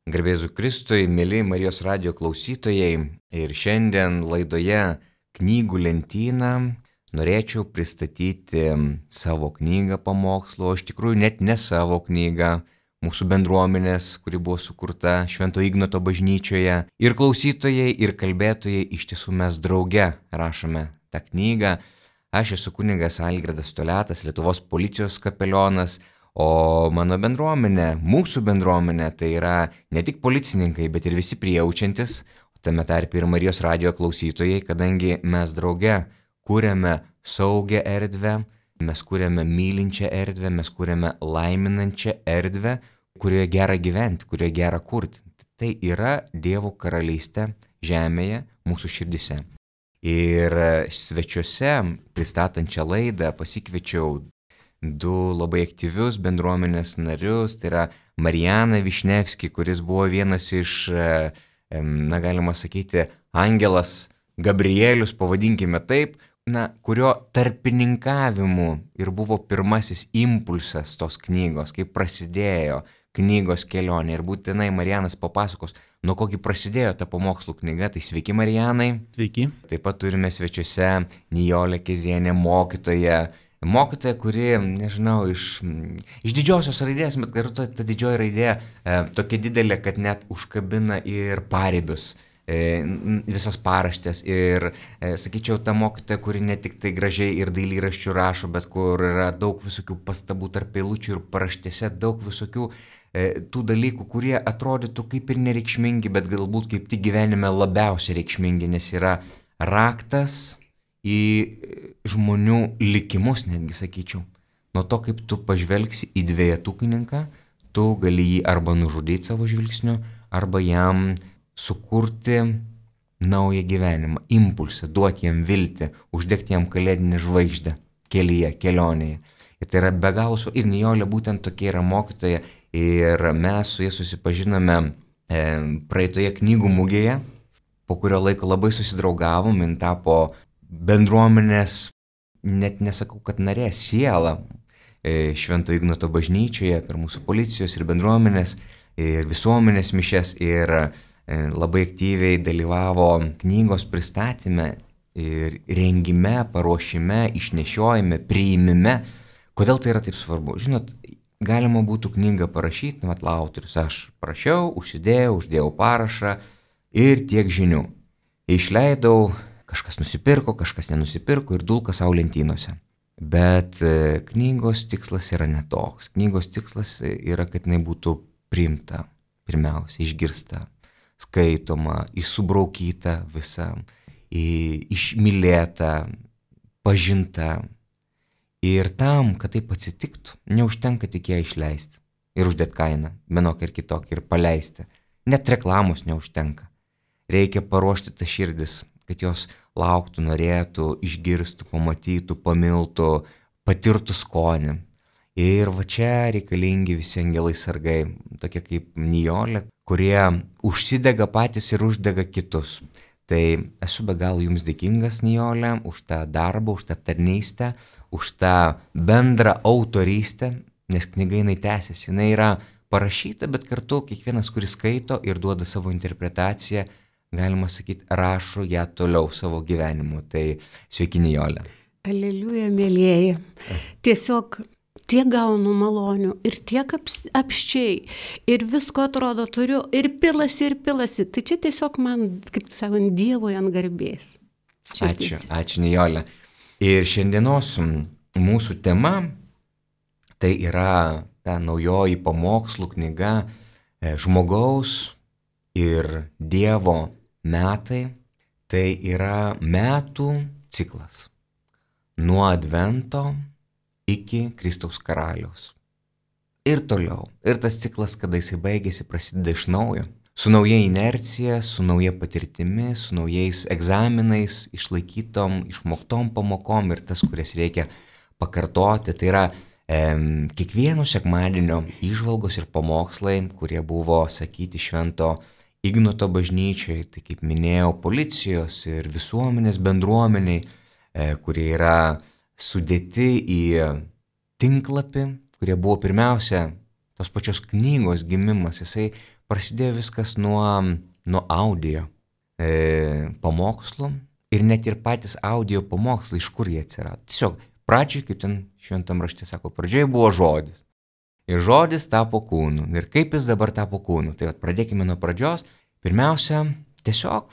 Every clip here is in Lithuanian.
Garbėzu Kristui, mėly Marijos radijo klausytojai, ir šiandien laidoje Knygų lentyna norėčiau pristatyti savo knygą pamokslų, o iš tikrųjų net ne savo knygą, mūsų bendruomenės, kuri buvo sukurta Švento Ignoto bažnyčioje. Ir klausytojai, ir kalbėtojai iš tiesų mes drauge rašome tą knygą. Aš esu kunigas Algirdas Toliatas, Lietuvos policijos kapelionas, o mano bendruomenė, mūsų bendruomenė, tai yra ne tik policininkai, bet ir visi prijaučiantis, tame tarpe ir Marijos radijo klausytojai, kadangi mes drauge kūrėme saugią erdvę, mes kūrėme mylinčią erdvę, mes kūrėme laiminančią erdvę, kurioje gera gyventi, kurioje gera kurti. Tai yra Dievo karalystė žemėje, mūsų širdise. Ir svečiuose, pristatant šią laidą, pasikviečiau du labai aktyvius bendruomenės narius, tai yra Marijaną Višnevskį, kuris buvo vienas iš, galima sakyti, angelas Gabrielius, pavadinkime taip, kurio tarpininkavimu ir buvo pirmasis impulsas tos knygos, kai prasidėjo knygos kelionė. Ir būtinai Marijanas papasakos, nuo kokį prasidėjo ta pamokslų knyga. Tai sveiki, Marijanai. Sveiki. Taip pat turime svečiuose Nijolę Kezienę, mokytoją, kuri, nežinau, iš didžiosios raidės, bet kartu ta didžioji raidė tokia didelė, kad net užkabina ir paribius, visas paraštės. Ir, sakyčiau, ta mokytoja, kuri ne tik tai gražiai ir dailyraščių rašo, bet kur yra daug visokių pastabų tarp eilučių ir paraštėse, daug visokių tų dalykų, kurie atrodytų kaip ir nereikšmingi, bet galbūt kaip tik gyvenime labiausiai reikšmingi, nes yra raktas į žmonių likimus, netgi sakyčiau. Nuo to, kaip tu pažvelgsi į dvejetukininką, tu gali jį arba nužudyti savo žvilgsniu, arba jam sukurti naują gyvenimą, impulsą, duoti jam viltį, uždegti jam kalėdinę žvaigždę kelyje, kelionėje. Ir tai yra be galo ir Nijolė būtent tokia yra mokytoja, ir mes su ja susipažinome praeitoje knygų mugėje, po kurio laiko labai susidraugavom, jin tapo bendruomenės, net nesakau, kad narė, siela Švento Ignoto bažnyčioje per mūsų policijos ir bendruomenės ir visuomenės mišias, ir labai aktyviai dalyvavo knygos pristatyme ir rengime, paruošime, išnešiojime, priimime. Kodėl tai yra taip svarbu? Žinot, galima būtų knygą parašyti, autorius, aš parašiau, uždėjau parašą ir tiek žinių. Išleidau, kažkas nusipirko, kažkas nenusipirko ir dulka savo lentynose. Bet knygos tikslas yra netoks. Knygos tikslas yra, kad jinai būtų priimta, pirmiausia, išgirsta, skaitoma, įsubraukyta visa, išmylėta, pažinta. Ir tam, kad taip atsitiktų, neužtenka tik ją išleisti ir uždėti kainą, vienokią ir kitokią, ir paleisti. Net reklamos neužtenka. Reikia paruošti tas širdis, kad jos lauktų, norėtų, išgirstų, pamatytų, pamiltų, patirtų skonį. Ir va čia reikalingi visi angelai sargai, tokie kaip Nijolė, kurie užsidega patys ir uždega kitus. Tai esu be galo jums dėkingas, Nijolė, už tą darbą, už tą tarnystę, už tą bendrą autorystę, nes knyga jinai tęsiasi, jinai yra parašyta, bet kartu kiekvienas, kuris skaito ir duoda savo interpretaciją, galima sakyti, rašo ją toliau savo gyvenimu. Tai sveiki, Nijolė. Aleliuja, mėlieji. Tiesiog tiek gaunu malonių ir tiek apščiai. Ir visko atrodo turiu ir pilasi. Tai čia tiesiog man, kaip sakant, Dievui ant garbės. Ačiū, Nijolė. Ir šiandienos mūsų tema tai yra ta naujoji pamokslų knyga Žmogaus ir Dievo metai. Tai yra metų ciklas nuo Advento iki Kristaus karaliaus. Ir toliau. Ir tas ciklas, kada jisai baigėsi, prasideda iš naujo. Su nauja inercija, su nauja patirtimi, su naujais egzaminais, išlaikytom, išmoktom pamokom ir tas, kurias reikia pakartoti. Tai yra kiekvieno sekmadienio įžvalgos ir pamokslai, kurie buvo sakyti Švento Ignoto bažnyčioje, tai kaip minėjau, policijos ir visuomenės bendruomeniai, kurie yra sudėti į tinklapį, kurie buvo pirmiausia tos pačios knygos gimimas, jisai prasidėjo viskas nuo audio pamokslų ir net ir patys audio pamokslai, iš kur jie atsirado. Tiesiog pradžioj, kaip ten šventam rašte sako, pradžioje buvo žodis. Ir žodis tapo kūnu. Ir kaip jis dabar tapo kūnu? Tai pradėkime nuo pradžios. Pirmiausia, tiesiog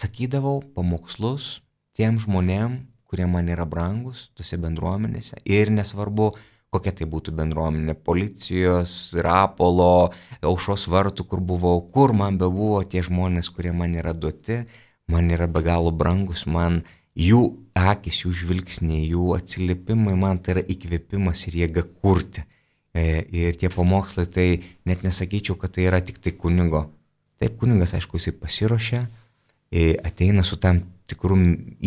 sakydavau pamokslus tiem žmonėm, kurie man yra brangus tose bendruomenėse. Ir nesvarbu, kokia tai būtų bendruomenė, policijos, Rapolo, Aušros vartų, kur buvau, kur man bebuvo tie žmonės, kurie man yra duoti, man yra be galo brangus, man jų akis, jų žvilgsniai, jų atsiliepimai, man tai yra įkvėpimas ir jėga kurti. Ir tie pamokslai, tai net nesakyčiau, kad tai yra tik tai kunigo. Taip, kunigas, aišku, jisai pasiruošia, ateina su tam tikrų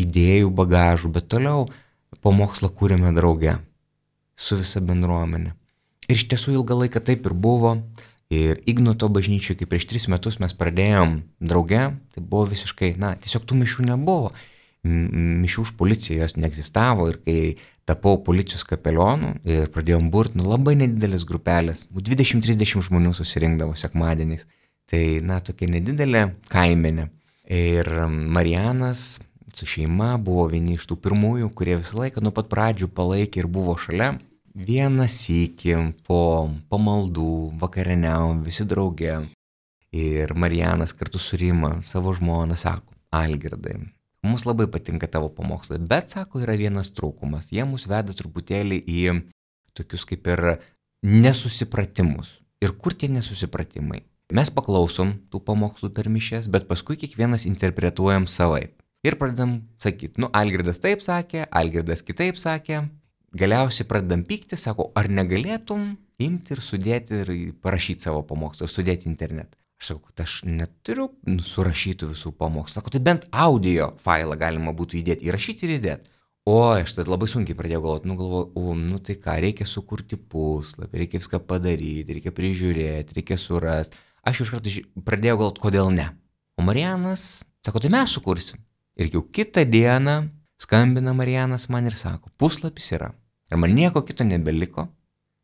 idėjų bagažų, bet toliau pamokslą kūrėme drauge su visa bendruomenė. Ir iš tiesų ilgą laiką taip ir buvo. Ir Ignoto bažnyčiai, kai prieš 3 metus mes pradėjom drauge, tai buvo visiškai, tiesiog tų mišių nebuvo. Mišių už policiją jos neegzistavo ir kai tapau policijos kapelionu ir pradėjom burti, labai nedidelis grupelės, 20-30 žmonių susirinkdavo sekmadieniais. Tai, tokia nedidelė kaimenė. Ir Marijanas su šeima buvo vieni iš tų pirmųjų, kurie visą laiką nuo pat pradžių palaikė ir buvo šalia. Vieną sykį po pamaldų vakarieniavom visi drauge. Ir Marijanas kartu su Rima, savo žmona, sako, Algirdai, mums labai patinka tavo pamokslai, bet, sako, yra vienas trūkumas. Jie mus veda truputėlį į tokius kaip ir nesusipratimus. Ir kur tie nesusipratimai? Mes paklausom tų pamokslų per mišias, bet paskui kiekvienas interpretuojam savaip. Ir pradedam sakyti, Algirdas taip sakė, Algirdas kitaip sakė. Galiausiai pradedam pykti, sako, ar negalėtum imti ir sudėti ir parašyti savo pamokslą ir sudėti internetą. Aš sakau, kad aš neturiu surašytų visų pamokslų. Sako, tai bent audio failą galima būtų įdėti, įrašyti ir įdėti. O aš tada labai sunkiai pradėjau galvoti, tai ką, reikia sukurti puslapį, reikia viską padaryti, reikia prižiūrėti, reikia surasti. Aš iš karto pradėjau galvoti, kodėl ne. O Marijanas sako, tai mes sukursim. Ir jau kitą dieną skambina Marijanas man ir sako, puslapis yra. Ir man nieko kito nebeliko,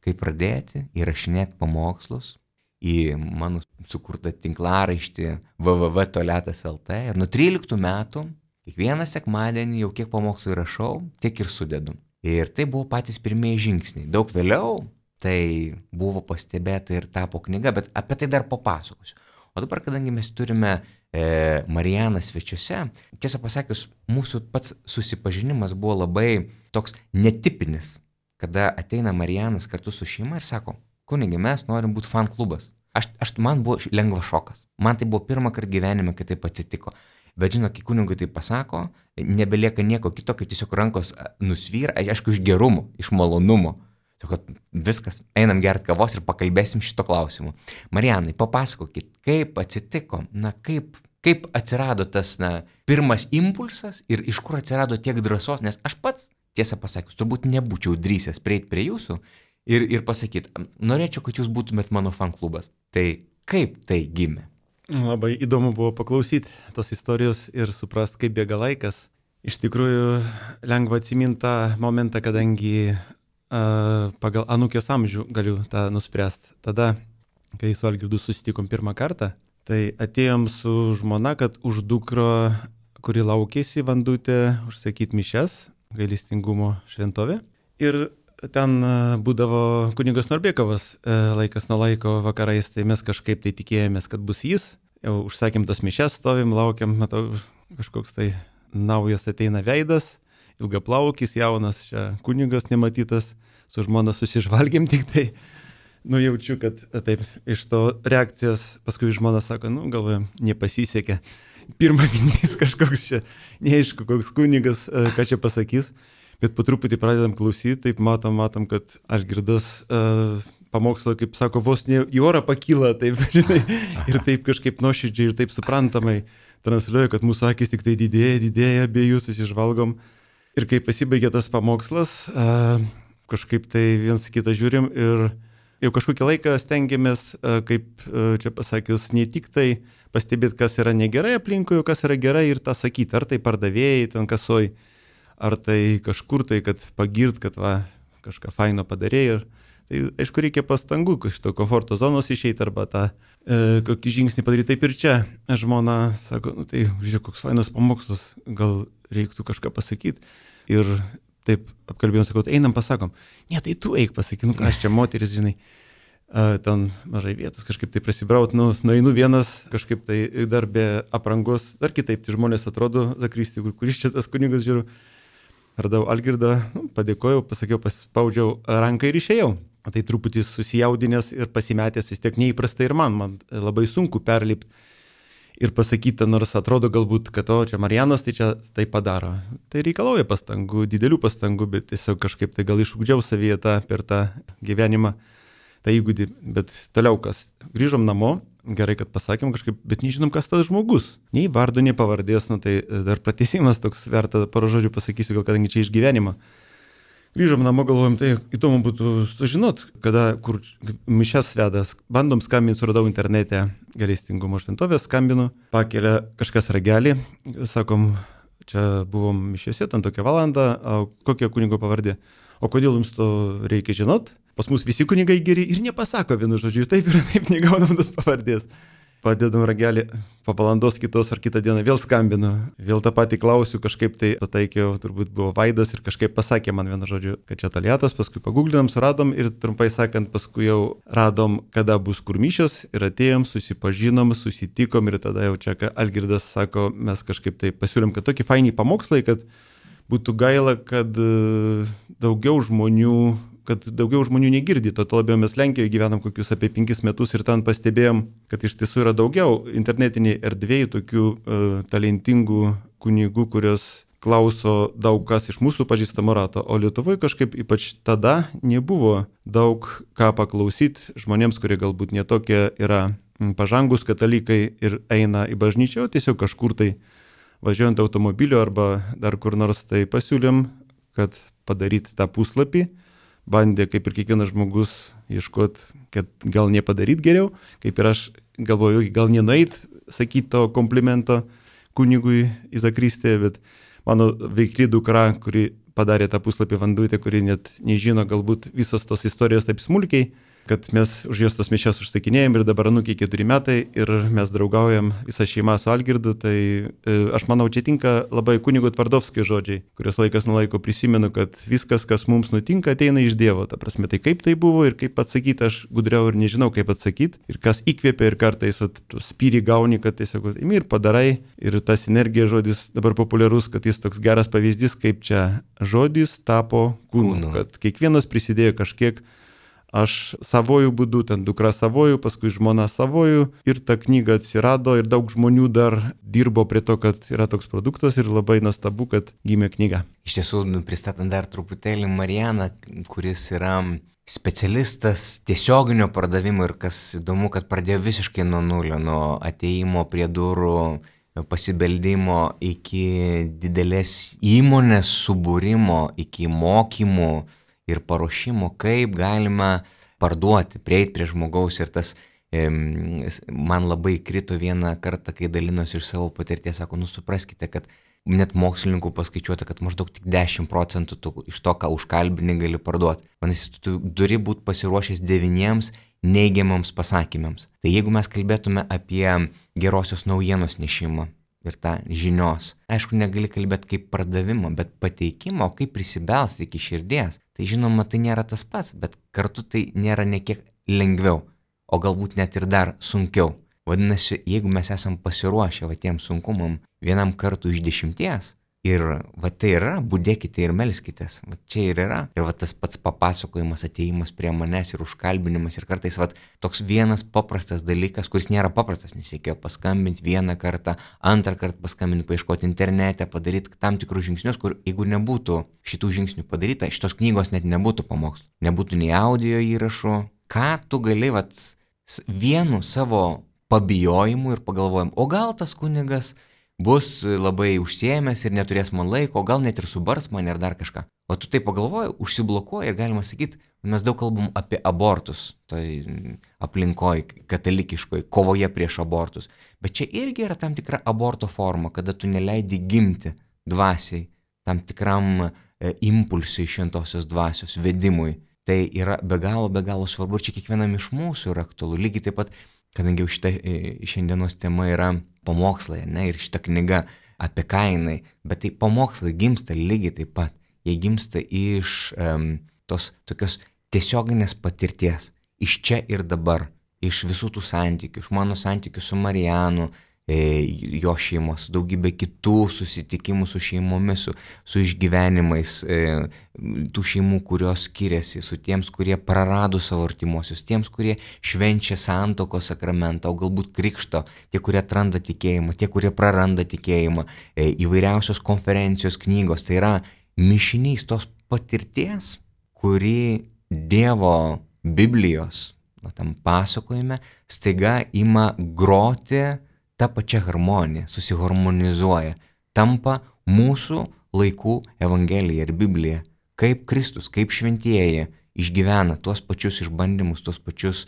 kaip pradėti įrašinėti pamokslus į mano sukurtą tinklaraištį www.toletas.lt. Ir nuo 13 metų kiekvieną sekmadienį jau kiek pamokslų įrašau, tiek ir sudedu. Ir tai buvo patys pirmieji žingsniai. Daug vėliau tai buvo pastebėta ir tapo knyga, bet apie tai dar papasakosiu. O dabar, kadangi mes turime Marijaną svečiuose, tiesą pasakius, mūsų pats susipažinimas buvo labai toks netipinis, kada ateina Marijanas kartu su šeima ir sako, kunigi, mes norim būti fan klubas. Man buvo lengvas šokas. Man tai buvo pirmą kartą gyvenime, kai taip atsitiko. Bet žinot, kai kunigui tai pasako, nebelieka nieko kito, kaip tiesiog rankos nusvyra, aišku, iš gerumo, iš malonumo. Sako, viskas, einam gert kavos ir pakalbėsim šito klausimu. Marijanai, papasakokit, kaip atsitiko, kaip atsirado tas pirmas impulsas ir iš kur atsirado tiek drąsos, nes aš pats, tiesą pasakius, turbūt nebūčiau drįsęs prieiti prie jūsų ir pasakyti, norėčiau, kad jūs būtumėt mano fan klubas. Tai kaip tai gimė? Labai įdomu buvo paklausyti tos istorijos ir suprast, kaip bėga laikas. Iš tikrųjų, lengva atsiminti tą momentą, kadangi pagal anūkės amžių galiu tą nuspręsti. Tada, kai su Algirdu susitikom pirmą kartą, tai atėjom su žmona, kad už dukrą, kuri laukėsi Vandutė, užsakyti mišias, gailestingumo šventovė. Ir ten būdavo kunigas Norbėkovas laikas nuo laiko vakarais, tai mes kažkaip tai tikėjomės, kad bus jis. Jau užsakėm tas mišias, stovim, laukiam, matau, kažkoks tai naujas ateina veidas. Ilgaplaukis, jaunas, čia kunigas nematytas, su žmona susižvalgėm tik tai, jaučiu, kad taip, iš to reakcijos, paskui žmona sako, galvoju, nepasisekė. Pirma mintis kažkoks čia, neaišku, koks kunigas, ką čia pasakys, bet po truputį pradedam klausyti, taip matom, kad Algirdas pamokslo, kaip sako, vos ne į orą pakyla, taip, žinai, ir taip kažkaip nuoširdžiai ir taip suprantamai transliuoja, kad mūsų akis tik tai didėja, abiejų susižvalgom. Ir kai pasibaigė tas pamokslas, kažkaip tai viens kitą žiūrim ir jau kažkokį laiką stengiamės, kaip čia pasakius, ne tik tai pastebėti, kas yra negerai aplinkui, kas yra gerai ir tą sakyti, ar tai pardavėjai ten kasoj, ar tai kažkur tai, kad pagirt, kad kažką faino padarė ir Tai aišku, reikia pastangų, iš to komforto zonos išeiti arba tą kokį žingsnį padaryti. Taip ir čia žmona sako, nu tai žiūrėk, koks fainas pamokslas, gal reiktų kažką pasakyti. Ir taip apkalbėjom, sakau, einam pasakom. Ne, tai tu eik pasakyk, nu ką aš čia moteris, žinai. Ten mažai vietos kažkaip tai prasibraut, nueinu vienas kažkaip tai dar be aprangos, dar kitaip tai žmonės atrodo, Zakristi, kuris čia tas kunigas žiūriu. Radau Algirdą, padėkojau, pasakiau, paspaudžiau ranką ir išėjau. Tai truputį susijaudinęs ir pasimetęs vis tiek neįprastai ir man labai sunku perlipti ir pasakyti, nors atrodo galbūt, kad čia Marijanas tai čia tai padaro. Tai reikalauja pastangų, didelių pastangų, bet tiesiog kažkaip tai gal išugdžiau savyje per tą gyvenimą, tą įgūdį. Bet toliau kas, grįžom namo, gerai, kad pasakėm kažkaip, bet nežinom, kas tas žmogus. Nei vardo, nei pavardės, tai dar pratęsimas toks verta porą žodžių pasakysiu, gal kadangi čia iš gyvenimo. Grįžom namo, galvojom, tai įdomu būtų sužinot, kur mišes vedas. Bandom skambinti, suradau internete Gailestingumo šventovės, skambinu, pakelia kažkas ragelį, sakom, čia buvom mišėse, ten tokią valandą, kokia kunigo pavardė. O kodėl jums to reikia žinot? Pas mus visi kunigai geri ir nepasako vienu žodžiu, taip ir taip negaunam tos pavardės. Padedam ragelį, po valandos kitos ar kitą dieną vėl skambinu, vėl tą patį klausiu, kažkaip tai pataikiau, turbūt buvo Vaidas ir kažkaip pasakė man vienu žodžiu, kad čia Toliatas, paskui paguglinam, suradom ir trumpai sakant, paskui jau radom, kada bus kur mišios ir atėjom, susipažinom, susitikom ir tada jau čia Algirdas sako, mes kažkaip tai pasiūlėm, kad tokį fainį pamokslai, kad būtų gaila, kad daugiau žmonių negirdi, to labiau mes Lenkijoje gyvenam kokius apie 5 metus ir ten pastebėjom, kad iš tiesų yra daugiau internetiniai erdvėjai tokių talentingų kunigų, kurios klauso daug kas iš mūsų pažįstamo rato, o Lietuvoje kažkaip ypač tada nebuvo daug ką paklausyti žmonėms, kurie galbūt netokie yra pažangus katalikai ir eina į bažnyčią, o tiesiog kažkur tai važiuojant automobiliu arba dar kur nors tai pasiūlėm, kad padaryti tą puslapį. Bandė, kaip ir kiekvienas žmogus, ieškoti, kad gal nepadaryti geriau, kaip ir aš galvoju, gal nenueit sakyti to komplimento kunigui į Zakristiją, bet mano veikli dukra, kuri padarė tą puslapį Vandutė, kuri net nežino galbūt visos tos istorijos taip smulkiai, kad mes už jos tos mišias užsakinėjom ir dabar anūkiai 4 metai ir mes draugaujam visą šeimą su Algirdu, tai aš manau, čia tinka labai kunigo Tvardovskio žodžiai, kurios laikas nuo laiko prisimenu, kad viskas, kas mums nutinka, ateina iš Dievo. Ta prasme, tai kaip tai buvo ir kaip atsakyti, aš gudriau ir nežinau, kaip atsakyti. Ir kas įkvėpia ir kartais spyrį gauni, kad tiesiog imi ir padarai. Ir tas energija žodis dabar populiarus, kad jis toks geras pavyzdys, kaip čia žodis tapo kūnu. Kad kiekvienas prisidėjo kažkiek. Aš savojų būdu, ten dukra savojų, paskui žmona savojų ir ta knyga atsirado ir daug žmonių dar dirbo prie to, kad yra toks produktas ir labai nuostabu, kad gimė knyga. Iš tiesų, pristatant dar truputėlį Marijaną, kuris yra specialistas tiesioginio pardavimo ir kas įdomu, kad pradėjo visiškai nuo nulio, nuo ateimo prie durų, pasibeldimo iki didelės įmonės subūrimo, iki mokymų ir paruošimo, kaip galima parduoti, prieiti prie žmogaus ir tas man labai krito vieną kartą, kai dalinosi iš savo patirties, sako, supraskite, kad net mokslininkų paskaičiuota, kad maždaug tik 10% iš to, ką užkalbini, gali parduoti. Manasi, tu turi būti pasiruošęs 9 neigiamams pasakymams. Tai jeigu mes kalbėtume apie gerosios naujienos nešimą, ir tą žinios. Aišku, negali kalbėti kaip pardavimo, bet pateikimo, kaip prisibelsti iki širdies. Tai žinoma, tai nėra tas pats, bet kartu tai nėra nekiek lengviau, o galbūt net ir dar sunkiau. Vadinasi, jeigu mes esam pasiruošę tiem sunkumam vienam kartu iš 10 ir tai yra, budėkite ir melskitės, čia ir yra. Ir tas pats papasakojimas, atėjimas prie manęs ir užkalbinimas ir kartais toks vienas paprastas dalykas, kuris nėra paprastas, nes reikėjo paskambinti vieną kartą, antrą kartą paskambinti, paieškoti internete, padaryti tam tikrus žingsnius, kur jeigu nebūtų šitų žingsnių padaryta, šitos knygos net nebūtų pamokslų, nebūtų nei audio įrašų. Ką tu gali vienu savo pabijojimu ir pagalvojimu, o gal tas kunigas bus labai užsiėmęs ir neturės man laiko, o gal net ir subars man ir dar kažką. O tu tai pagalvoji, užsiblokuoji ir galima sakyti, mes daug kalbam apie abortus, tai aplinkoj katalikiškoj, kovoje prieš abortus. Bet čia irgi yra tam tikra aborto forma, kada tu neleidi gimti dvasiai, tam tikram impulsui šventosios dvasios vedimui. tai yra be galo svarbu ir čia kiekvienam iš mūsų yra aktualu. Lygiai taip pat, kadangi jau šita šiandienos tema yra pamokslai, ne, ir šita knyga apie Kainai, bet tai pamokslai gimsta lygiai taip pat. Jie gimsta iš tos tokios tiesioginės patirties, iš čia ir dabar, iš visų tų santykių, iš mano santykių su Marijanu, jo šeimos, daugybė kitų susitikimų su šeimomis, su išgyvenimais, tų šeimų, kurios skiriasi, su tiems, kurie prarado savo artimuosius, tiems, kurie švenčia santuokos sakramentą, o galbūt krikšto, tie, kurie atranda tikėjimą, tie, kurie praranda tikėjimą, įvairiausios konferencijos, knygos, tai yra mišinys tos patirties, kuri Dievo Biblijos, tam pasakojime, staiga ima groti ta pačia harmonija, susiharmonizuoja, tampa mūsų laikų Evangelija ir Biblija, kaip Kristus, kaip šventieji išgyvena tuos pačius išbandymus, tuos pačius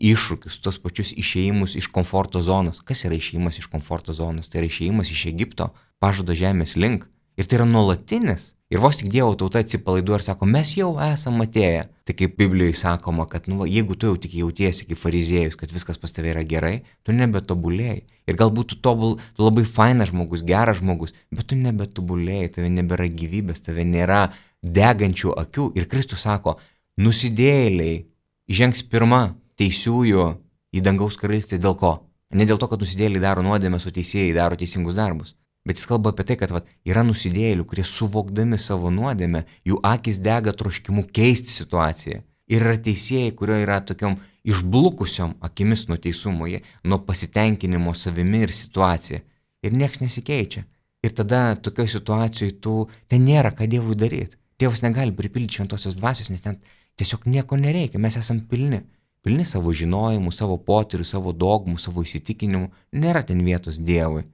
iššūkius, tuos pačius išėjimus iš komforto zonos. Kas yra išėjimas iš komforto zonos? Tai yra išėjimas iš Egipto, pažado žemės link. Ir tai yra nuolatinis. Ir vos tik Dievo tauta atsipalaiduoja ir sako, mes jau esame atėję. Tai kaip Biblijoje sakoma, kad jeigu tu jau tik jautiesi kaip fariziejus, kad viskas pas tave yra gerai, tu nebetobulėjai. Ir galbūt tu labai fainas žmogus, geras žmogus, bet tu nebetobulėjai, tave nebėra gyvybės, tave nėra degančių akių. Ir Kristus sako, nusidėjėliai žengs pirma teisiųjų į dangaus karalystę dėl ko? Ne dėl to, kad nusidėjėliai daro nuodėmes, o teisėjai daro teisingus darbus. Bet jis kalba apie tai, kad yra nusidėjėlių, kurie suvokdami savo nuodėmę, jų akis dega troškimu keisti situaciją. Ir yra teisėjai, kurio yra tokiom išblukusiom akimis nuo teisumo, nuo pasitenkinimo savimi ir situacija. Ir nieks nesikeičia. Ir tada tokioje situacijoje ten nėra ką Dievui daryti. Dievas negali pripildyti šventosios dvasios, nes ten tiesiog nieko nereikia. Mes esam pilni. Pilni savo žinojimų, savo potyrių, savo dogmų, savo įsitikinimų. Nėra ten vietos Dievui.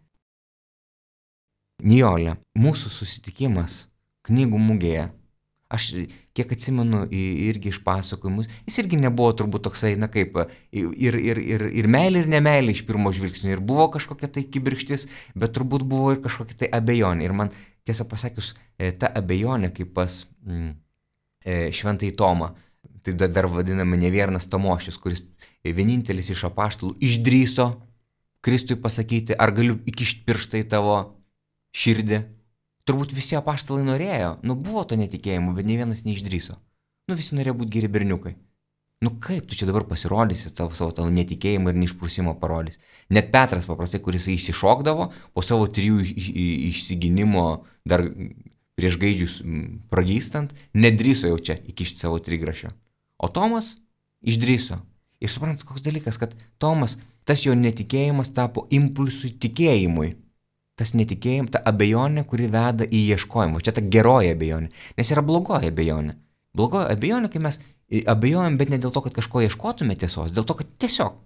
Nijolė, mūsų susitikimas knygų mugėje, aš kiek atsimenu irgi iš pasakojimus, jis irgi nebuvo turbūt toksai, kaip ir meilė, ir nemeilė iš pirmo žvilgsnio, ir buvo kažkokia tai kibirkštis, bet turbūt buvo ir kažkokia tai abejonė. Ir man, tiesą pasakius, ta abejonė kaip pas šventąjį Tomą, tai dar vadiname neviernas Tomošius, kuris vienintelis iš apaštalų išdrįso Kristui pasakyti, ar galiu įkišti pirštą į tavo širdį. Turbūt visi apaštalai norėjo, buvo to netikėjimo, bet nei vienas neišdrįso. Visi norėjo būti geri berniukai. Kaip tu čia dabar pasirodysi savo tavo netikėjimą ir neišprusimą parodys. Net Petras paprastai, kuris išsišokdavo, po savo 3 išsiginimo dar prieš gaidžius pragystant, nedrįso jau čia įkišti savo trigrašio. O Tomas išdrįso. Ir suprantat, koks dalykas, kad Tomas, tas jo netikėjimas tapo impulsui tikėjimui. Tas netikėjimas, ta abejonė, kuri veda į ieškojimą. Čia ta geroji abejonė. Nes yra blogoji abejonė. Blogoji abejonė, kai mes abejojam, bet ne dėl to, kad kažko ieškotume tiesos, dėl to, kad tiesiog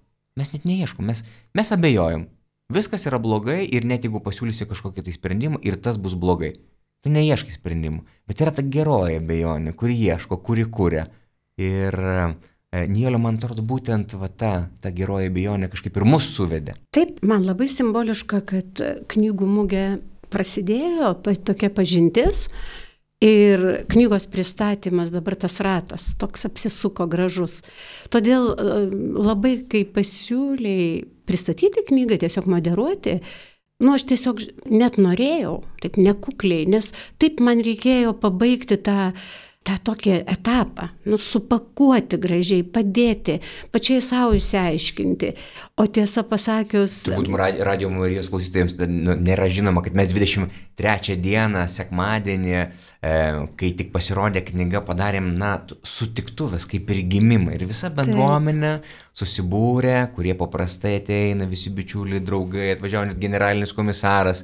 mes net neieškom, mes abejojam. Viskas yra blogai ir net jeigu pasiūlysi kažkokį tai sprendimą ir tas bus blogai. Tu neieškai sprendimų. Bet yra ta geroji abejonė, kuri ieško, kuri kuria. Ir Nijolė, man atrodo, būtent ta geroji abejonė kažkaip ir mus suvedė. Taip, man labai simboliška, kad knygų mugė prasidėjo, tokia pažintis ir knygos pristatymas, dabar tas ratas, toks apsisuko gražus. Todėl labai, kai pasiūlėjai pristatyti knygą, tiesiog moderuoti, aš tiesiog net norėjau, taip nekukliai, nes taip man reikėjo pabaigti tą tokį etapą, supakuoti gražiai, padėti, pačiai savo išsiaiškinti. O tiesą pasakius... Turbūt Radio Marijos klausytojams nėra žinoma, kad mes 23 dieną, sekmadienį, kai tik pasirodė knyga, padarėm, sutiktuvės, kaip ir gimimą. Ir visa bendruomenė susibūrė, kurie paprastai ateina, visi bičiuliai, draugai, atvažiavo net generalinis komisaras.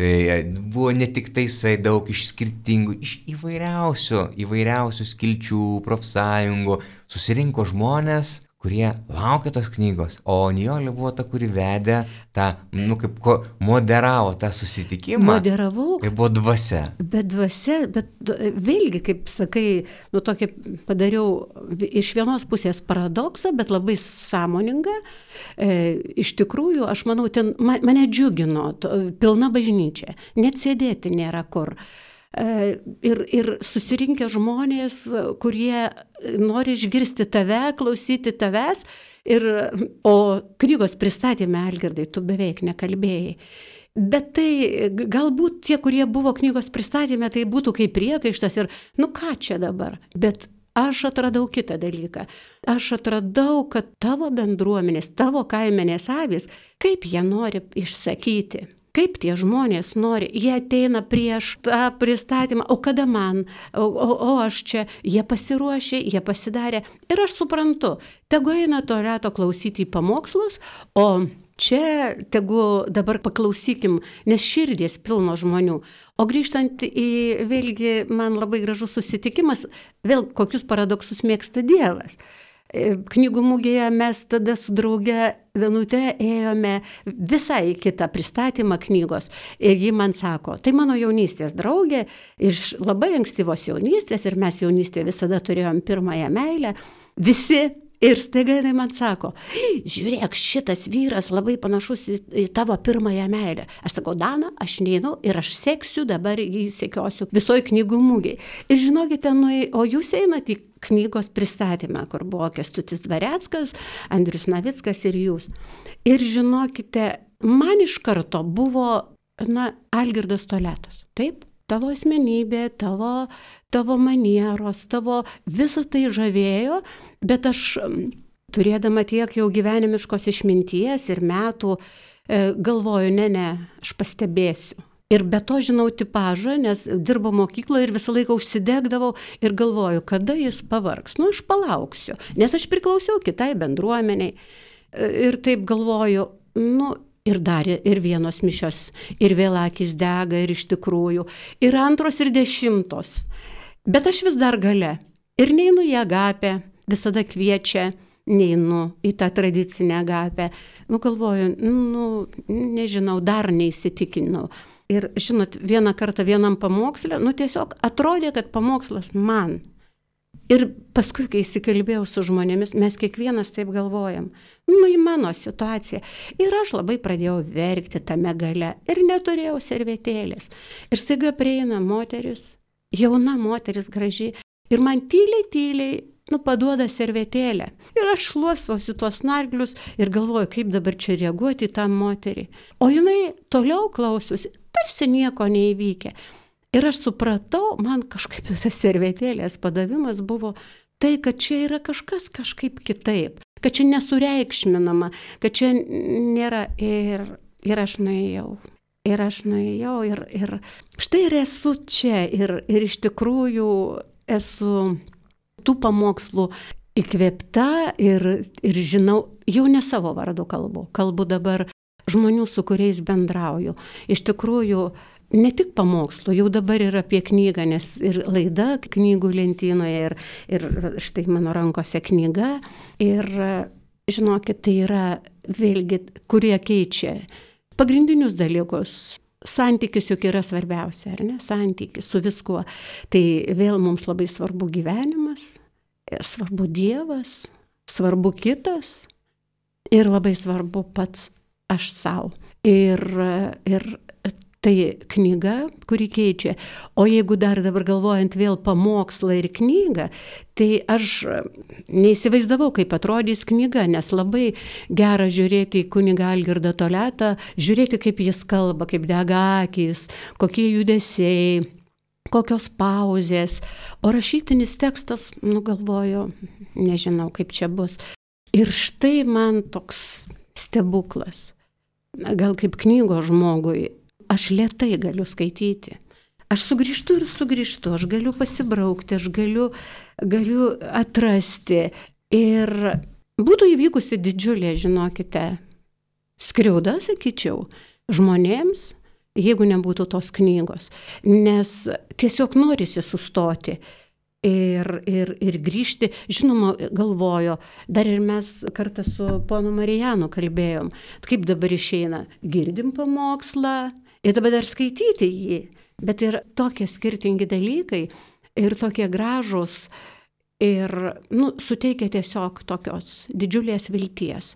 Buvo ne tik taisai, daug iš skirtingų, iš įvairiausių skilčių, profsąjungų, susirinko žmonės, kurie laukia tos knygos, o Nijolė buvo ta, kuri vedė tą, moderavo tą susitikimą. Moderavau. Ir buvo dvasia. Bet vėlgi, kaip sakai, tokį padariau iš vienos pusės paradoksą, bet labai sąmoningą. Iš tikrųjų, aš manau, ten mane džiugino, pilna bažnyčia, net sėdėti nėra kur. ir susirinkę žmonės, kurie nori išgirsti tave, klausyti tavęs. O knygos pristatymė, Algirdai, tu beveik nekalbėjai. Bet tai galbūt tie, kurie buvo knygos pristatymė, tai būtų kaip priekaištas ir ką čia dabar. Bet aš atradau kitą dalyką. Aš atradau, kad tavo bendruomenės, tavo kaimenės avys, kaip jie nori išsakyti, kaip tie žmonės nori, jie ateina prieš tą pristatymą, o kada man, o aš čia, jie pasiruošė, jie pasidarė. Ir aš suprantu, tegu eina to reto klausyti į pamokslus, o čia tegu dabar paklausykim, nes širdės pilno žmonių. O grįžtant į vėlgi man labai gražus susitikimas, vėl kokius paradoksus mėgsta Dievas. Knygų mugėje mes tada su drauge Danute ėjome visai kitą pristatymą knygos. Ir ji man sako, tai mano jaunystės draugė, iš labai ankstyvos jaunystės, ir mes jaunystėje visada turėjom pirmąją meilę, visi. Ir staiga jinai man sako, žiūrėk, šitas vyras labai panašus į tavo pirmąją meilę. Aš sakau, Dana, aš neinu ir aš seksiu, dabar jį sekiosiu visoje knygų mugėje. Ir žinokite, o jūs einate į knygos pristatymą, kur buvo Kęstutis Dvareckas, Andrius Navickas ir jūs. Ir žinokite, man iš karto buvo, Algirdas Toliatas. Taip? Tavo asmenybė, tavo manieros, tavo visą tai žavėjo, bet aš turėdama tiek jau gyvenimiškos išminties ir metų galvoju, ne, aš pastebėsiu. Ir be to žinau tipažą, nes dirbo mokykloje ir visą laiką užsidegdavau ir galvoju, kada jis pavargs. Aš palauksiu, nes aš priklausiau kitai bendruomeniai. Ir taip galvoju, ir darė, ir vienos mišios, ir vėl akys dega, ir iš tikrųjų, ir 2 ir 10. Bet aš vis dar gale. Ir neinu į agapę, visada kviečia, neinu į tą tradicinę agapę. Galvoju, nežinau, dar neįsitikinau. Ir žinot, vieną kartą vienam pamokslė, tiesiog atrodė, kad pamokslas man. Ir paskui, kai įsikalbėjau su žmonėmis, mes kiekvienas taip galvojam, į mano situaciją. Ir aš labai pradėjau verkti tame gale ir neturėjau servetėlės. Ir staiga prieina moteris, jauna moteris graži, ir man tyliai, paduoda servetėlę. Ir aš šluostausi tuos snarglius ir galvoju, kaip dabar čia reaguoti į tą moterį. O jinai toliau klausosi, tarsi nieko neįvykę. Ir aš supratau, man kažkaip tas servetėlės padavimas buvo tai, kad čia yra kažkas kažkaip kitaip, kad čia nesureikšminama, kad čia nėra ir aš nuėjau. Ir štai ir esu čia ir iš tikrųjų esu tų pamokslų įkvėpta ir žinau, jau ne savo vardu kalbu dabar žmonių, su kuriais bendrauju. Iš tikrųjų, ne tik pamokslų, jau dabar ir apie knygą, nes ir laida knygų lentynoje ir štai mano rankose knyga. Ir žinokit, tai yra vėlgi, kurie keičia pagrindinius dalykus. Santykis juk yra svarbiausia, ar ne? Santykis su viskuo. Tai vėl mums labai svarbu gyvenimas, ir svarbu Dievas, svarbu kitas ir labai svarbu pats aš savo. Ir tai knyga, kuri keičia. O jeigu dar dabar galvojant vėl pamokslą ir knygą, tai aš neįsivaizdavau, kaip atrodys knyga, nes labai gera žiūrėti į kunigą Algirdą Toliatą, žiūrėti, kaip jis kalba, kaip dega akys, kokie judesiai, kokios pauzės. O rašytinis tekstas, galvoju, nežinau, kaip čia bus. Ir štai man toks stebuklas. Gal kaip knygos žmogui. Aš lėtai galiu skaityti. Aš sugrįžtu ir sugrįžtu, aš galiu pasibraukti, aš galiu atrasti. Ir būtų įvykusi didžiulė, žinokite, skriauda, sakyčiau, žmonėms, jeigu nebūtų tos knygos. Nes tiesiog norisi sustoti ir grįžti. Žinoma, galvoju, dar ir mes kartą su ponu Marijanu kalbėjom, kaip dabar išeina, girdim pamokslą, ir dabar dar skaityti jį, bet ir tokie skirtingi dalykai ir tokie gražūs ir suteikia tiesiog tokios didžiulės vilties.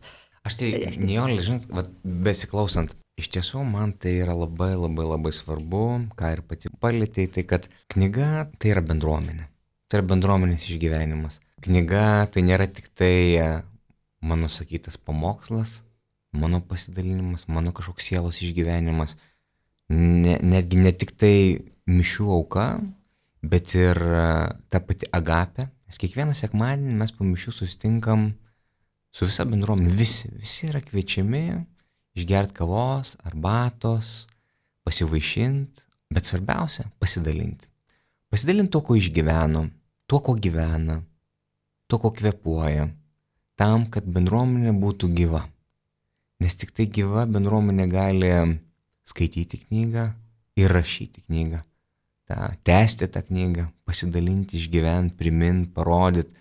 Aš tai, Nijolė, žinot, besiklausant, Iš tiesų, man tai yra labai svarbu, ką ir pati palėtėjai, tai kad knyga tai yra bendruomenė. Tai yra bendruomenės išgyvenimas. Knyga tai nėra tik tai mano sakytas pamokslas, mano pasidalinimas, mano kažkoks sielos išgyvenimas. Netgi ne tik tai mišių auka, bet ir ta pati agapė. Nes kiekvieną sekmadienį mes po mišių susitinkam su visa bendruomenė. Visi yra kviečiami išgerti kavos, arbatos, pasivaišinti, bet svarbiausia - pasidalinti. Pasidalinti to, ko išgyveno, tuo, ko gyvena, tuo, ko kvėpuoja, tam, kad bendruomenė būtų gyva. Nes tik tai gyva bendruomenė gali skaityti knygą ir rašyti knygą. Tęsti tą knygą, pasidalinti, išgyventi, priminti, parodyti,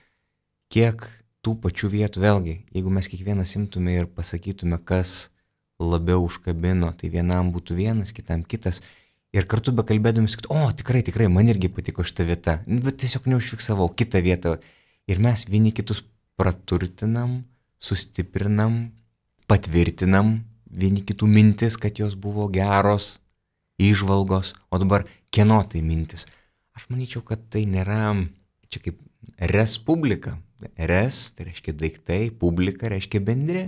kiek tų pačių vietų, vėlgi, jeigu mes kiekvienas imtume ir pasakytume, kas labiau užkabino, tai vienam būtų vienas, kitam kitas. Ir kartu bekalbėdami sakyti, o tikrai, man irgi patiko šita vieta, bet tiesiog neužfiksavau kitą vietą. Ir mes vieni kitus praturtinam, sustiprinam, patvirtinam vieni kitų mintis, kad jos buvo geros, įžvalgos, o dabar kieno tai mintis. Aš manyčiau, kad tai nėra, čia kaip respublika. Res, tai reiškia daiktai, publika reiškia bendri.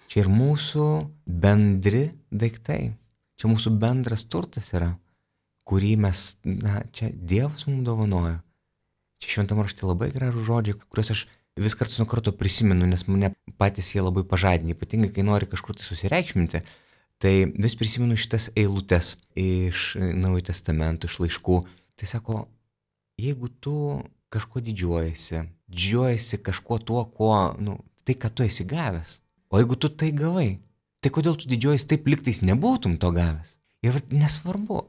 Čia ir mūsų bendri daiktai. Čia mūsų bendras turtas yra, kurį mes, čia Dievas mums dovanojo. Čia Šventame rašte labai gražų žodžiai, kuriuos aš vis kartus nuo karto prisimenu, nes mane patys jie labai pažadina, ypatingai kai nori kažkur tai susireikšminti. Tai vis prisimenu šitas eilutes iš Naujojo Testamento, iš laiškų. Tai sako, jeigu tu kažko didžiuojasi kažkuo tuo, tai ką tu esi gavęs. O jeigu tu tai gavai, tai kodėl tu didžiuojasi taip, liktais nebūtum to gavęs? Ir nesvarbu,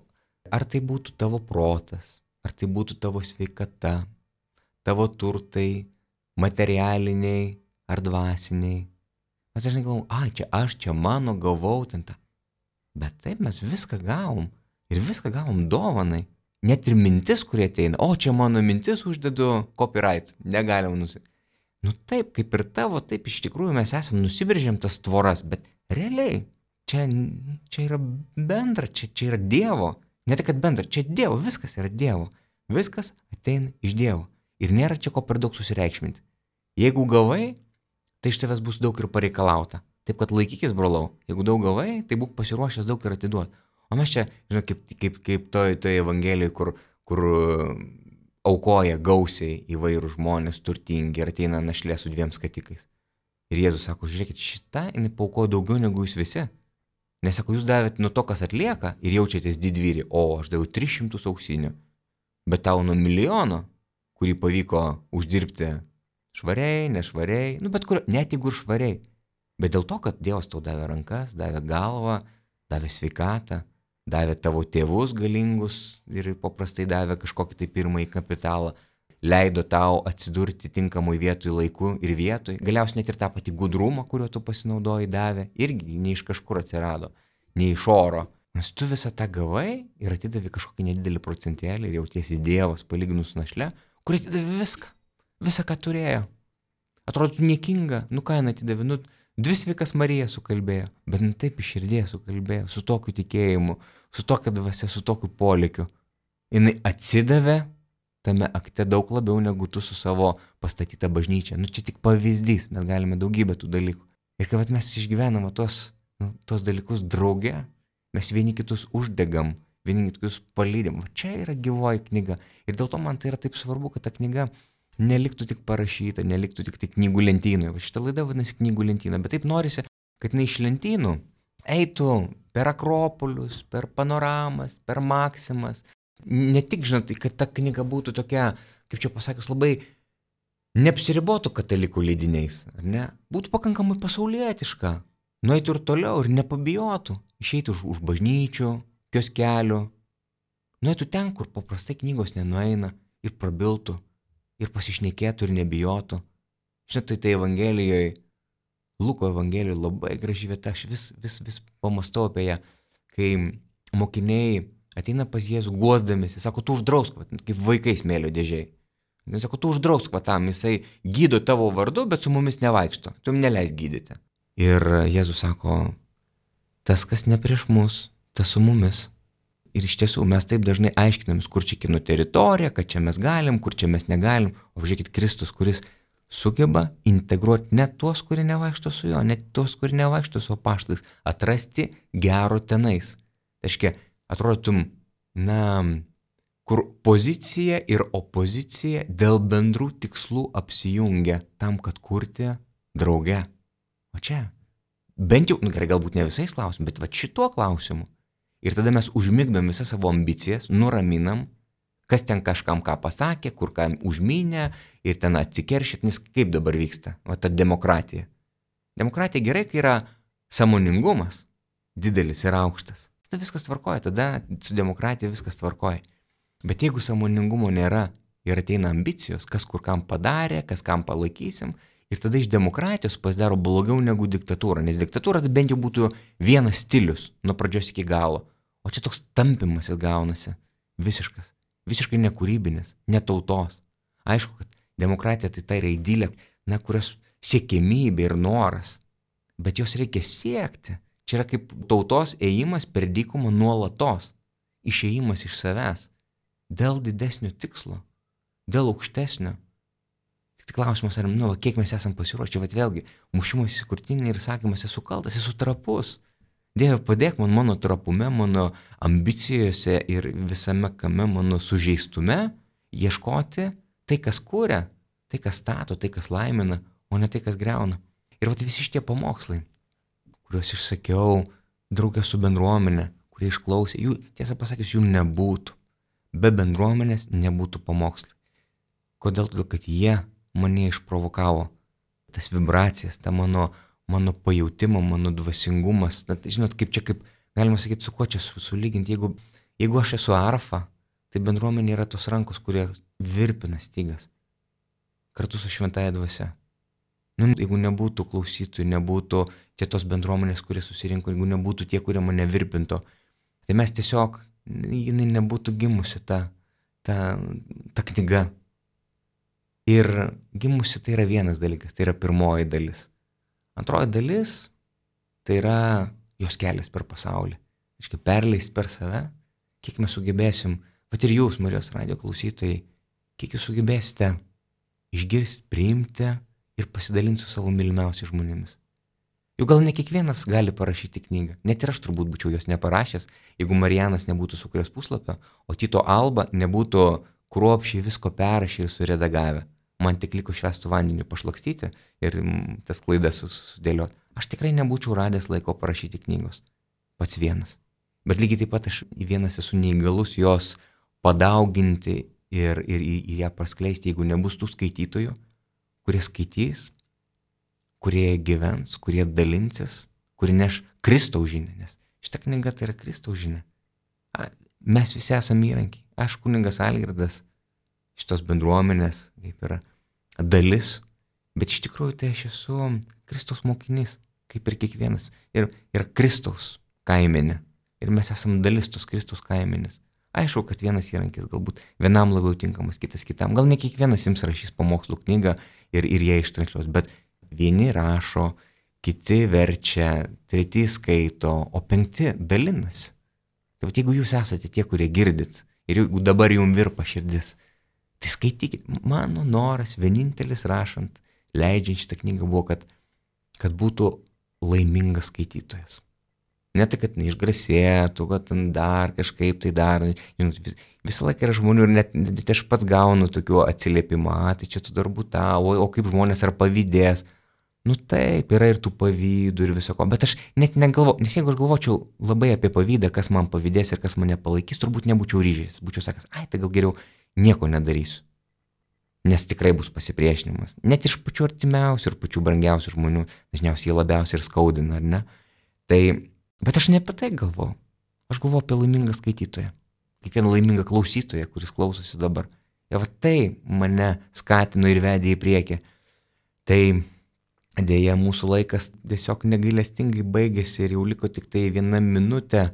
ar tai būtų tavo protas, ar tai būtų tavo sveikata, tavo turtai, materialiniai ar dvasiniai. Mes dažnai galvom, čia mano gavau ten tą. Bet taip mes viską gavom ir viską gavom dovanai. Net ir mintis, kurie ateina, čia mano mintis uždedu copyright, negalim nusipirkti. Taip, kaip ir tavo, taip iš tikrųjų mes esam nusiveržėm tas tvoras, bet realiai čia yra bendra, čia yra Dievo. Ne tai, kad bendra, čia Dievo, viskas yra Dievo. Viskas ateina iš Dievo. Ir nėra čia ko per daug susireikšminti. Jeigu gavai, tai iš tavęs bus daug ir pareikalauta. Taip, kad laikykis, brolau. Jeigu daug gavai, tai būk pasiruošęs daug ir atiduoti. O mes čia, žinai, kaip toje Evangelijoje, kur aukoja gausiai įvairių žmonės, turtingi, ir ateina našlė su 2 skatikais. Ir Jėzus sako, žiūrėkit, šitą jinai paaukojo daugiau negu jūs visi. Nes sako, jūs davėt nuo to, kas atlieka ir jaučiatės didvyri, aš daviau 300 auksinių. Bet tau nuo 1 milijono, kurį pavyko uždirbti švariai, nešvariai, bet kur, net jeigu ir švariai. Bet dėl to, kad Dievas tau davė rankas, davė galvą, davė sveikatą, davė tavo tėvus galingus ir paprastai davė kažkokį tai pirmąjį kapitalą, leido tau atsidurti tinkamoj vietoj laiku ir vietoj, galiausiai net ir tą patį gudrumą, kuriuo tu pasinaudojai davė, irgi ne iš kažkur atsirado, ne iš oro. Nes tu visą tą gavai ir atidavė kažkokį nedidelį procentėlį ir jautiesi Dievas palyginus su našle, kuri atidavė visą, ką turėjo. Atrodo niekinga, ką jinai atidavė, 2 sveikas Marija sukalbėjo, bet taip iš širdies sukalbėjo, su tokiu tikėjimu, su tokia dvasia, su tokiu polėkiu. Jinai atsidavė tame akte daug labiau negu tu su savo pastatyta bažnyčia. Čia tik pavyzdys, mes galime daugybę tų dalykų. Ir kai mes išgyvename tos dalykus drauge, mes vieni kitus uždegam, vieni kitus palydėm. Čia yra gyvoji knyga. Ir dėl to man tai yra taip svarbu, kad ta knyga neliktų tik parašyta, neliktų tik tai knygų lentynoje. Šitą laidą vadinasi knygų lentyna, bet taip norisi, kad iš lentynų eitų per Akropolius, per Panoramas, per Maksimas. Ne tik, kad ta knyga būtų tokia, kaip čia pasakius, labai neapsiribotų katalikų leidiniais, ar ne? Būtų pakankamai pasaulietiška, nueitų ir toliau ir nepabijotų, išeitų už bažnyčių, kioskelių, nueitų ten, kur paprastai knygos nenueina ir prabiltų. Ir pasišnekėtų ir nebijotų. Žinote, tai Evangelijoje, Luko Evangelijoje labai graži vieta, aš vis pamastau apie ją, kai mokiniai ateina pas Jėzų guosdamėsi, sako, tu uždrausk, kaip vaikai smėlio dėžiai. Jis sako, tu uždrausk tam, jisai gydo tavo vardu, bet su mumis nevaikšto, tu jam neleis gydyti. Ir Jėzus sako, tas, kas ne prieš mus, tas su mumis. Ir iš tiesų mes taip dažnai aiškinamės, kur čia kinų teritorija, kad čia mes galim, kur čia mes negalim. O žiūrėkit, Kristus, kuris sugeba integruoti net tuos, kurie nevaikšto su juo, net tuos, kurie nevaikšto su apaštalais, atrasti gero tenais. Tai reiškia, atrodytum, kur pozicija ir opozicija dėl bendrų tikslų apsijungia tam, kad kurti drauge. O čia, bent jau, gerai, galbūt ne visais klausimais, bet va šituo klausimu. Ir tada mes užmigdom visas savo ambicijas, nuraminam, kas ten kažkam ką pasakė, kur ką užmynė ir ten atsikeršyt, nes kaip dabar vyksta, va ta demokratija. Demokratija gerai, kai yra sąmoningumas didelis ir aukštas. Tada viskas tvarkoja, tada su demokratija viskas tvarkoja. Bet jeigu sąmoningumo nėra ir ateina ambicijos, kas kur kam padarė, kas kam palaikysim, ir tada iš demokratijos pasidaro blogiau negu diktatūra, nes diktatūra tai bent jau būtų vienas stilius nuo pradžios iki galo. O čia toks tampimasis gaunasi, visiškai nekūrybinis, netautos. Aišku, kad demokratija tai yra idilė, kurios siekimybė ir noras, bet jos reikia siekti. Čia yra kaip tautos ėjimas per dykumą nuolatos, išėjimas iš savęs, dėl didesnio tikslo, dėl aukštesnio. Tik klausimas, ar, kiek mes esam pasiruošę, bet vėlgi, mušimas į krūtinę ir sakymas, esu kaltas, esu trapus. Dieve, padėk man mano trapume, mano ambicijose ir visame kame, mano sužeistume, ieškoti tai, kas kuria, tai, kas stato, tai, kas laimina, o ne tai, kas greuna. Ir vat visi šitie pamokslai, kuriuos išsakiau draugė su bendruomenė, kurie išklausė, jų, tiesą pasakius, jų nebūtų. Be bendruomenės nebūtų pamokslai. Kodėl? Todėl, kad jie mane išprovokavo. Tas vibracijas, ta mano pajautimą, mano dvasingumas. Žinot, kaip galima sakyti, su kuo čia sulyginti. Jeigu aš esu arfa, tai bendruomenė yra tos rankos, kurie virpina stygas. Kartu su šventąja dvasia. Jeigu nebūtų klausytojų, nebūtų čia tos bendruomenės, kurie susirinko, jeigu nebūtų tie, kurie mane virpinto, tai mes tiesiog, jinai nebūtų gimusi ta knyga. Ir gimusi tai yra vienas dalykas, tai yra pirmoji dalis. Antroji dalis, tai yra jos kelias per pasaulį. Reiškia, perleist per save, kiek mes sugebėsim, bet ir jūs, Marijos radijo klausytojai, kiek jūs sugebėsite išgirsti, priimti ir pasidalinti su savo mylimiausiais žmonėmis. Juk gal ne kiekvienas gali parašyti knygą, net ir aš turbūt būčiau jos neparašęs, jeigu Marijanas nebūtų sukūręs puslapio, o Tito Alba nebūtų kruopščiai visko perrašę ir suredagavę. Man tik liko švęstų vandeniu pašlakstyti ir tas klaidas sudėlioti. Aš tikrai nebūčiau radęs laiko parašyti knygos. Pats vienas. Bet lygiai taip pat aš vienas esu neįgalus jos padauginti ir ją praskleisti, jeigu nebus tų skaitytojų, kurie skaitys, kurie gyvens, kurie dalinsis, kurie neš Kristaus žinią. Nes šita knyga tai yra Kristaus žinia. Mes visi esame įrankiai. Aš kunigas Algirdas, šitos bendruomenės, kaip yra dalis, bet iš tikrųjų tai aš esu Kristaus mokinys, kaip ir kiekvienas. Ir Kristaus kaimenė. Ir mes esame dalis tos Kristaus kaimenės. Aišku, kad vienas įrankis galbūt vienam labiau tinkamas, kitas kitam. Gal ne kiekvienas jums rašys pamokslų knygą ir ją ištransliuos, bet vieni rašo, kiti verčia, treti skaito, o penkti dalinasi. Tai jeigu jūs esate tie, kurie girdit, ir jeigu dabar jums virpa širdis, tai skaitykit. Mano noras vienintelis rašant, leidžiant šitą knygą buvo, kad būtų laimingas skaitytojas. Ne tai, kad neišgrasėtų, kad dar kažkaip tai dar. Žinot, visą laiką yra žmonių ir net aš pats gaunu tokių atsiliepimą, tai čia tu darbų tavo, o kaip žmonės ar pavydės. Taip, yra ir tų pavydų ir viso ko, bet aš net negalvoju, nes jeigu aš galvočiau labai apie pavydą, kas man pavydės ir kas mane palaikys, turbūt nebūčiau ryžęs, būčiau sakęs, tai gal geriau nieko nedarysiu, nes tikrai bus pasipriešinimas, net iš pačių artimiausių ir pačių brangiausių žmonių, dažniausiai jie labiausiai ir skaudina, ar ne? Tai, bet aš ne apie tai galvoju, aš galvoju apie laimingą skaitytoją, kiekvieną laimingą klausytoją, kuris klausosi dabar. Ir va tai mane skatino ir vedė į priekį. Tai dėja, mūsų laikas tiesiog negailestingai baigėsi ir jau liko tik tai 1 minutė.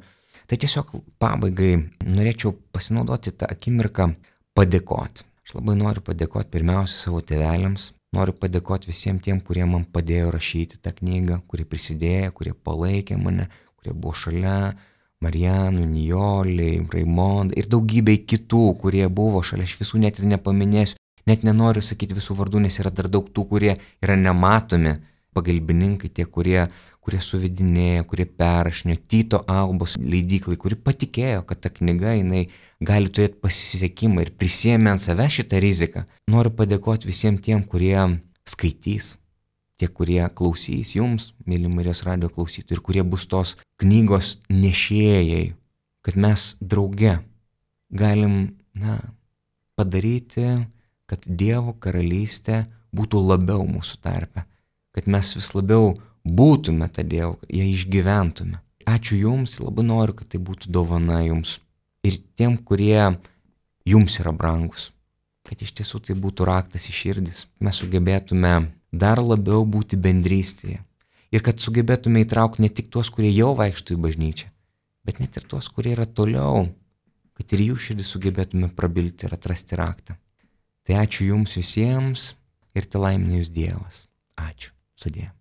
Tai tiesiog pabaigai norėčiau pasinaudoti tą akimirką padėkoti. Aš labai noriu padėkoti pirmiausia savo tėveliams. Noriu padėkoti visiems tiem, kurie man padėjo rašyti tą knygą, kurie prisidėjo, kurie palaikė mane, kurie buvo šalia, Marijanų, Nijoliai, Raimondai ir daugybei kitų, kurie buvo šalia, aš visų net ir nepaminėsiu, net nenoriu sakyti visų vardų, nes yra dar daug tų, kurie yra nematomi, pagalbininkai, tie, kurie suvedinėjo, kurie perrašinėjo, Tyto Albos leidyklai, kuri patikėjo, kad ta knyga jinai gali turėti pasisekimą ir prisėmė ant savęs šitą riziką. Noriu padėkoti visiems tiem, kurie skaitys, tie, kurie klausys jums, mėly Marijos radijo klausytojai, ir kurie bus tos knygos nešėjai, kad mes drauge galim, padaryti, kad Dievo karalystė būtų labiau mūsų tarpe, kad mes vis labiau būtume tą Dievą, ją išgyventume. Ačiū jums, labai noriu, kad tai būtų dovana jums ir tiem, kurie jums yra brangus, kad iš tiesų tai būtų raktas į širdis, mes sugebėtume dar labiau būti bendrystėje ir kad sugebėtume įtraukti ne tik tuos, kurie jau vaikšto į bažnyčią, bet net ir tuos, kurie yra toliau, kad ir jų širdį sugebėtume prabilti ir atrasti raktą. Tai ačiū jums visiems ir te laimina jūs Dievas. Ačiū. Sudie.